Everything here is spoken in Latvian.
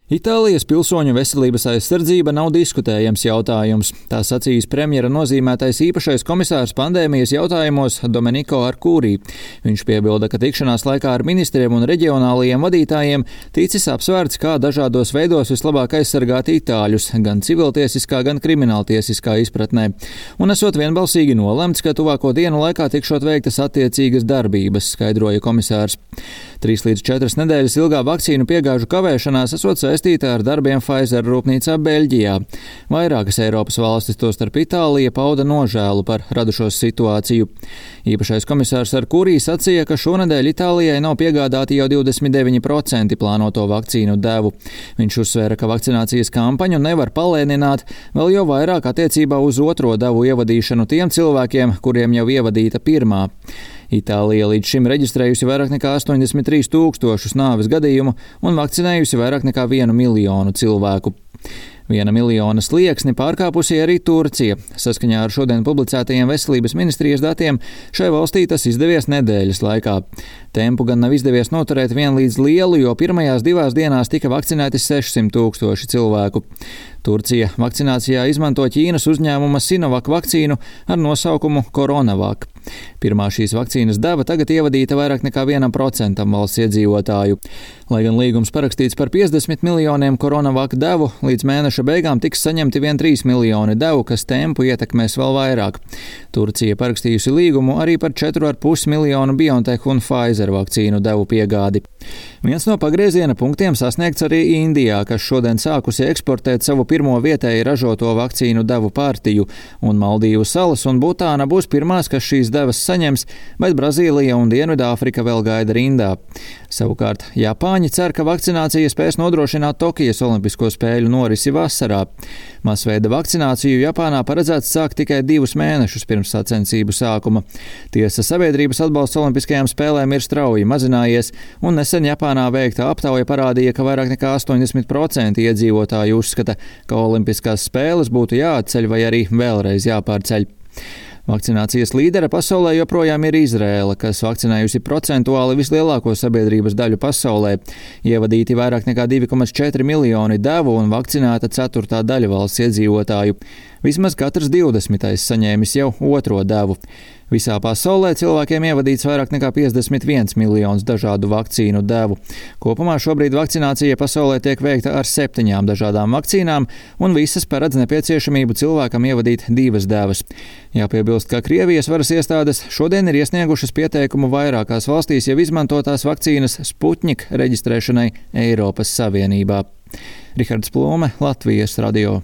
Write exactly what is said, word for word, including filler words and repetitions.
Itālijas pilsoņu veselības aizsardzība nav diskutējams jautājums. Tā sacījis premjera nozīmētais īpašais komisārs pandēmijas jautājumos Domenico Arcuri. Viņš piebilda, ka tikšanās laikā ar ministriem un reģionālajiem vadītājiem ticis apsvērts, kā dažādos veidos vislabāk aizsargāt itāļus, gan civiltiesiskā, gan krimināltiesiskā izpratnē. Un esot vienbalsīgi nolemts, ka tuvāko dienu laikā tikšot veiktas attiecīgas darbības, skaidroja komisārs. Trīs līdz četras nedēļas ilgā vakcīnu piegāžu kavēšanās esot saistīta ar darbiem Pfizer rūpnīcā Beļģijā. Vairākas Eiropas valstis, tostarp Itālija, pauda nožēlu par radušos situāciju. Īpašais komisārs Arcuri sacīja, ka šonedēļ Itālijai nav piegādāti jau divdesmit deviņi procenti plānoto vakcīnu devu. Viņš uzsvēra, ka vakcinācijas kampaņu nevar palēnināt, vēl jau vairāk attiecībā uz otro devu ievadīšanu tiem cilvēkiem, kuriem jau ievadīta pirmā. Itālija līdz šim reģistrējusi vairāk nekā astoņdesmit trīs tūkstošus nāves gadījumu un vakcinējusi vairāk nekā vienu miljonu cilvēku. Viena miljona slieksni pārkāpusi arī Turcija. Saskaņā ar šodien publicētajiem veselības ministrijas datiem šai valstī tas izdevies nedēļas laikā. Tempu gan nav izdevies noturēt vienlīdz lielu, jo pirmajās divās dienās tika vakcinēti sešsimt tūkstoši cilvēku. Turcija vakcinācijā izmanto Ķīnas uzņēmuma Sinovac vakcīnu ar nosaukumu Coronavac. Pirmā šīs vakcīnas deva tagad ievadīta vairāk nekā vienam procentam valsts iedzīvotāju. Lai gan līgums parakstīts par piecdesmit miljoniem Coronavac devu, līdz mēneša beigām tiks saņemti vien trīs miljoni devu, kas tempu ietekmēs vēl vairāk. Turcija parakstījusi līgumu arī par četru ar pus miljonu BioNTech un Pfizer vakcīnu devu piegādi. Viens no pagrieziena punktiem sasniegts arī Indijā, kas šodien sākusi eksportēt savu pirmo vietēji ražoto vakcīnu devu partiju, un Maldīvu salas un Butāna būs pirmās, kas šīs devas saņems, bet Brazīlija un Dienvidāfrika vēl gaida rindā. Savukārt Japāņi cer, ka vakcinācija spēs nodrošināt Tokijas olimpisko spēļu norisi vasarā. Masveida vakcināciju Japānā paredzēts sākt tikai divus mēnešus pirms sacensību sākuma. Tiesa, sabiedrības atbalsts olimpiskajām spēlēm ir strauji mazinājies, un nesen Japānā veikta aptauja parādīja, ka vairāk nekā astoņdesmit procenti iedzīvotāju uzskata, ka olimpiskās spēles būtu jāatceļ vai arī vēlreiz jāpārceļ. Vakcinācijas līdere pasaulē joprojām ir Izraēla, kas vakcinējusi procentuāli vislielāko sabiedrības daļu pasaulē. Ievadīti vairāk nekā divi komats četri miljoni devu un vakcinēta ceturtā daļa valsts iedzīvotāju. Vismaz katrs divdesmitais saņēmis jau otro devu. Visā pasaulē cilvēkiem ievadīts vairāk nekā piecdesmit viens miljons dažādu vakcīnu devu. Kopumā šobrīd vakcinācija pasaulē tiek veikta ar septiņām dažādām vakcīnām, un visas paredz nepieciešamību cilvēkam ievadīt divas devas. Jāpiebilst, ka Krievijas varas iestādes šodien ir iesniegušas pieteikumu vairākās valstīs jau izmantotās vakcīnas Sputnik reģistrēšanai Eiropas Savienībā. Rihards Plome, Latvijas radio.